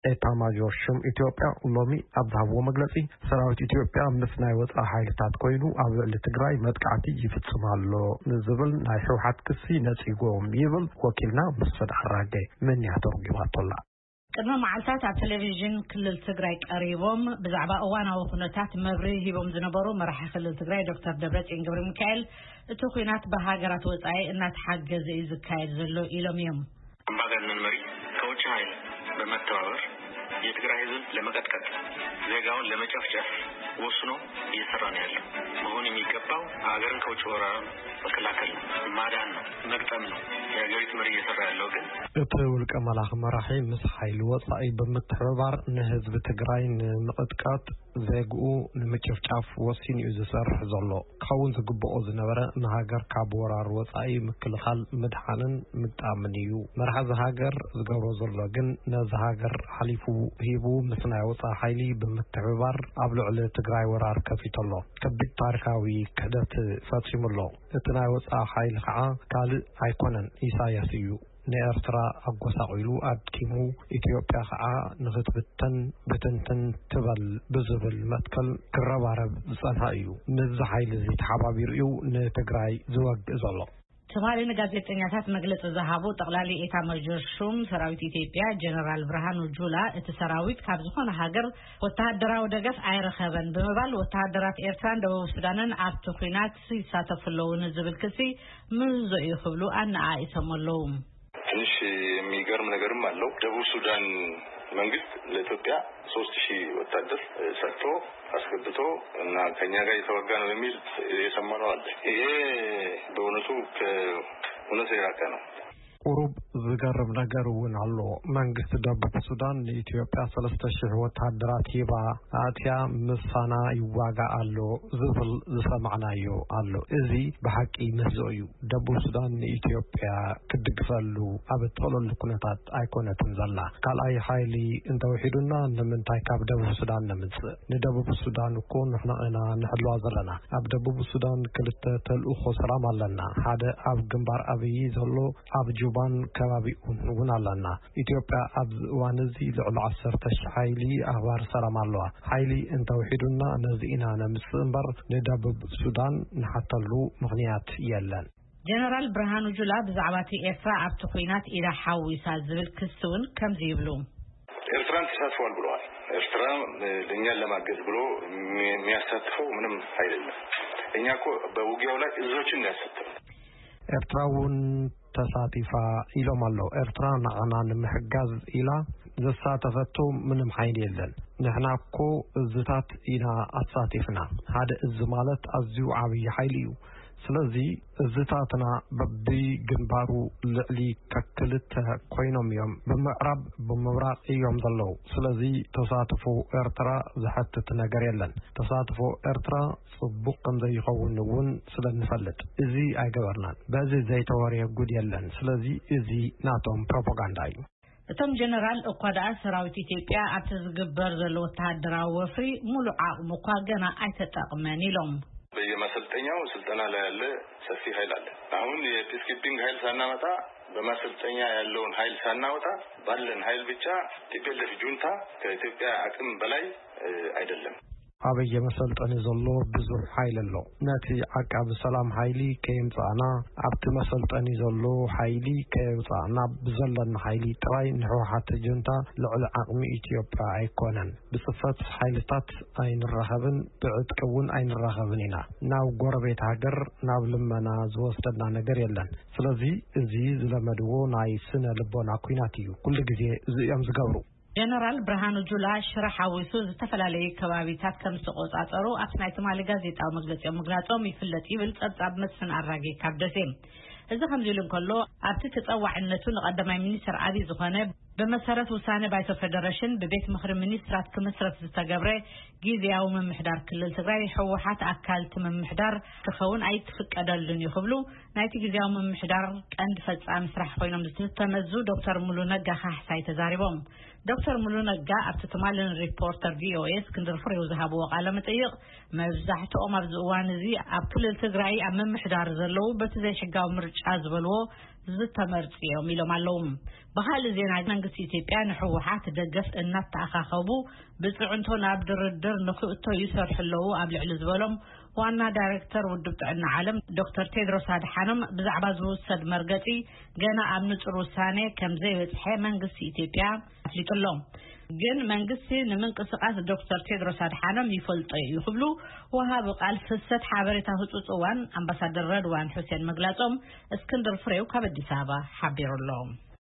ኤታማዦር ሹም ኢትዮጵያ ሎሚ ኣብ ዝሃብዎ መግለጺ፣ ሰራዊት ኢትዮጵያ ምስ ናይ ወጻኢ ሓይልታት ኮይኑ ኣብ ልዕሊ ትግራይ መጥቃዕቲ ይፍጽም ኣሎ ንዝብል ናይ ህወሓት ክሲ ነጺጎም ይብል ወኪልና መስፍን ኣራጌ። መንያ ተርጉማቶላ። ቅድሚ መዓልታት ኣብ ቴሌቪዥን ክልል ትግራይ ቀሪቦም ብዛዕባ እዋናዊ ኩነታት መብርሂ ሂቦም ዝነበሩ መራሒ ክልል ትግራይ ዶክተር ደብረጽዮን ገብረ ሚካኤል፣ እቲ ኩናት ብሃገራት ወጻኢ እናተሓገዘ እዩ ዝካየድ ዘሎ ኢሎም እዮም። አምባገነን መሪ ከውጭ ኃይል በመተባበር የትግራይ ህዝብ ለመቀጥቀጥ፣ ዜጋውን ለመጨፍጨፍ ወስኖ እየሰራ ነው ያለው። መሆን የሚገባው ሀገርን ከውጭ ወራር መከላከል ነው፣ ማዳን ነው፣ መግጠም ነው። የሀገሪቱ መሪ እየሰራ ያለው ግን እቲ ውልቀ መላኺ መራሒ ምስ ሓይሊ ወጻኢ ብምትሕብባር ንህዝቢ ትግራይ ንምቕጥቃጥ ዜግኡ ንምጭፍጫፍ ወሲኑ እዩ ዝሰርሕ ዘሎ። ክኸውን ዝግብኦ ዝነበረ ንሃገር ካብ ወራር ወጻኢ ምክልኻል ምድሓንን ምግጣምን እዩ። መራሒ እዚ ሃገር ዝገብሮ ዘሎ ግን ነዚ ሃገር ሓሊፉ ሂቡ ምስ ናይ ወጻኢ ሓይሊ ብምትሕብባር ኣብ ልዕሊ ትግራይ ወራር ከፊቱ ኣሎ። ከቢድ ታሪኻዊ ክሕደት ፈጺሙ ኣሎ። እቲ ናይ ወጻኢ ሓይሊ ከዓ ካልእ ኣይኮነን፣ ኢሳያስ እዩ። ንኤርትራ ኣጎሳቒሉ ኣድኪሙ፣ ኢትዮጵያ ከዓ ንኽትብተን ብትንትን ትበል ብዝብል መትከል ክረባረብ ዝጸንሐ እዩ። ምስዚ ሓይሊ እዚ ተሓባቢሩ እዩ ንትግራይ ዝወግእ ዘሎ። ትማሊ ንጋዜጠኛታት መግለጺ ዝሃቡ ጠቕላሊ ኤታ ማጆር ሹም ሰራዊት ኢትዮጵያ ጀነራል ብርሃኑ ጁላ፣ እቲ ሰራዊት ካብ ዝኾነ ሃገር ወተሃደራዊ ደገፍ ኣይረኸበን ብምባል፣ ወተሃደራት ኤርትራን ደቡብ ሱዳንን ኣብቲ ኲናት ይሳተፉ ኣለዉ ንዝብል ክሲ ምህዞ እዩ ክብሉ ኣነኣኢሶም ኣለዉ። ትንሽ የሚገርም ነገርም አለው። ደቡብ ሱዳን መንግስት ለኢትዮጵያ ሶስት ሺህ ወታደር ሰጥቶ አስገብቶ እና ከኛ ጋር የተዋጋ ነው የሚል የሰማነው አለ። ይሄ በእውነቱ ከእውነት የራቀ ነው። ቁሩብ ዝገርም ነገር እውን ኣሎ። መንግስቲ ደቡብ ሱዳን ንኢትዮጵያ ሰለስተ ሺሕ ወታደራት ሂባ ኣትያ ምሳና ይዋጋ ኣሎ ዝብል ዝሰማዕናዮ ኣሎ። እዚ ብሓቂ ምህዞ እዩ። ደቡብ ሱዳን ንኢትዮጵያ ክትድግፈሉ ኣብ እትኽእለሉ ኩነታት ኣይኮነትን ዘላ። ካልኣይ ሓይሊ እንተውሒዱና ንምንታይ ካብ ደቡብ ሱዳን ነምጽእ? ንደቡብ ሱዳን እኮ ንሕና ኢና ንሕልዋ ዘለና። ኣብ ደቡብ ሱዳን ክልተ ተልእኾ ሰላም ኣለና። ሓደ ኣብ ግንባር ኣብይ ዘሎ፣ ኣብ ጁባን ከባቢኡን እውን ኣለና። ኢትዮጵያ ኣብዚ እዋን እዚ ልዕሊ ዓሰርተ ሺሕ ሓይሊ ኣኽባር ሰላም ኣለዋ። ሓይሊ እንተውሒዱና ነዚ ኢና ነምጽእ እምበር ንደቡብ ሱዳን ንሓተሉ ምኽንያት የለን። ጀነራል ብርሃኑ ጁላ ብዛዕባ እቲ ኤርትራ ኣብቲ ኲናት ኢዳ ሓዊሳ ዝብል ክሲ እውን ከምዚ ይብሉ። ኤርትራን ተሳትፏል ብለዋል። ኤርትራ እኛን ለማገዝ ብሎ የሚያሳትፈው ምንም ኃይል የለም። እኛ እኮ በውጊያው ላይ እዞችን ነው ያሳተፍነው። ኤርትራ እውን ተሳቲፋ ኢሎም ኣለዉ። ኤርትራ ንዓና ንምሕጋዝ ኢላ ዘሳተፈቶ ምንም ሓይሊ የለን። ንሕና እኮ እዝታት ኢና ኣሳቲፍና። ሓደ እዚ ማለት ኣዝዩ ዓብዪ ሓይሊ እዩ። ስለዚ እዝታትና በብግንባሩ ልዕሊ ከክልተ ኮይኖም እዮም። ብምዕራብ ብምብራቕ እዮም ዘለዉ። ስለዚ ተሳትፎ ኤርትራ ዘሐትት ነገር የለን። ተሳትፎ ኤርትራ ጽቡቕ ከም ዘይኸውን እውን ስለ እንፈልጥ እዚ ኣይገበርናን። በዚ ዘይተወርየ ጉድ የለን። ስለዚ እዚ ናቶም ፕሮፓጋንዳ እዩ። እቶም ጀነራል እኳ ደኣ ሰራዊት ኢትዮጵያ ኣብቲ ዝግበር ዘሎ ወተሃደራዊ ወፍሪ ሙሉእ ዓቕሙ እኳ ገና ኣይተጠቕመን ኢሎም። በየማሰልጠኛው ስልጠና ላይ ያለ ሰፊ ኃይል አለ። አሁን የፒስኪፒንግ ኃይል ሳናመጣ፣ በማሰልጠኛ ያለውን ኃይል ሳናወጣ ባለን ኃይል ብቻ ቲፒኤልኤፍ ጁንታ ከኢትዮጵያ አቅም በላይ አይደለም። ኣብ የመሰልጠኒ ዘሎ ብዙሕ ሓይሊ ኣሎ። ነቲ ዓቃቢ ሰላም ሓይሊ ከየምጻእና፣ ኣብቲ መሰልጠኒ ዘሎ ሓይሊ ከየውጻእና፣ ብዘለና ሓይሊ ጥራይ ንህወሓት ጁንታ ልዕሊ ዓቕሚ ኢትዮጵያ ኣይኮነን። ብጽፈት ሓይልታት ኣይንራኸብን፣ ብዕጥቂ እውን ኣይንራኸብን ኢና። ናብ ጎረቤት ሃገር ናብ ልመና ዝወስደና ነገር የለን። ስለዚ እዚ ዝለመድዎ ናይ ስነ ልቦና ኲናት እዩ። ኩሉ ግዜ እዚ እዮም ዝገብሩ። ጀነራል ብርሃኑ ጁላ ሽረ ሓዊሱ ዝተፈላለዩ ከባቢታት ከም ዝተቆጻጸሩ ኣብቲ ናይ ትማሊ ጋዜጣዊ መግለጺኦም ምግላጾም ይፍለጥ ይብል ጸብጻብ መስፍን ኣራጌ ካብ ደሴ። እዚ ከምዚ ኢሉ እንከሎ፣ ኣብቲ ተጸዋዕነቱ ንቀዳማይ ሚኒስትር ኣብይ ዝኾነ ብመሰረት ውሳነ ባይቶ ፌደሬሽን ብቤት ምኽሪ ሚኒስትራት ክምስረት ዝተገብረ ግዝያዊ ምምሕዳር ክልል ትግራይ ህወሓት ኣካል እቲ ምምሕዳር ክኸውን ኣይክፍቀደሉን እዩ ክብሉ ናይቲ ግዝያዊ ምምሕዳር ቀንዲ ፈጻሚ ስራሕ ኮይኖም ዝተመዙ ዶክተር ሙሉ ነጋ ካሕሳይ ተዛሪቦም። ዶክተር ሙሉ ነጋ ኣብቲ ትማሊ ንሪፖርተር ቪኦኤ እስክንድር ፍሬው ዝሃብዎ ቃለ መጠይቕ፣ መብዛሕትኦም ኣብዚ እዋን እዚ ኣብ ክልል ትግራይ ኣብ ምምሕዳር ዘለዉ በቲ ዘይሕጋዊ ምርጫ ዝበልዎ ዝተመርጹ እዮም ኢሎም ኣለዉ። ብኻልእ ዜና፣ መንግስቲ ኢትዮጵያ ንህወሓት ደገፍ እናተኣኻኸቡ ብጽዕንቶ ናብ ድርድር ንኽእቶ ይሰርሑ ኣለዉ ኣብ ልዕሊ ዝበሎም ዋና ዳይሬክተር ውድብ ጥዕና ዓለም ዶክተር ቴድሮስ ኣድሓኖም፣ ብዛዕባ ዝውሰድ መርገጺ ገና ኣብ ንጹር ውሳኔ ከም ዘይበጽሐ መንግስቲ ኢትዮጵያ ኣፍሊጡ ኣሎ። ግን መንግስቲ ንምንቅስቃስ ዶክተር ቴድሮስ ኣድሓኖም ይፈልጦ እዩ ክብሉ ወሃቢ ቃል ፍሰት ሓበሬታ ህጹጽ እዋን ኣምባሳደር ረድዋን ሑሴን ምግላጾም እስክንድር ፍሬው ካብ ኣዲስ ኣበባ ሓቢሩ ኣሎ።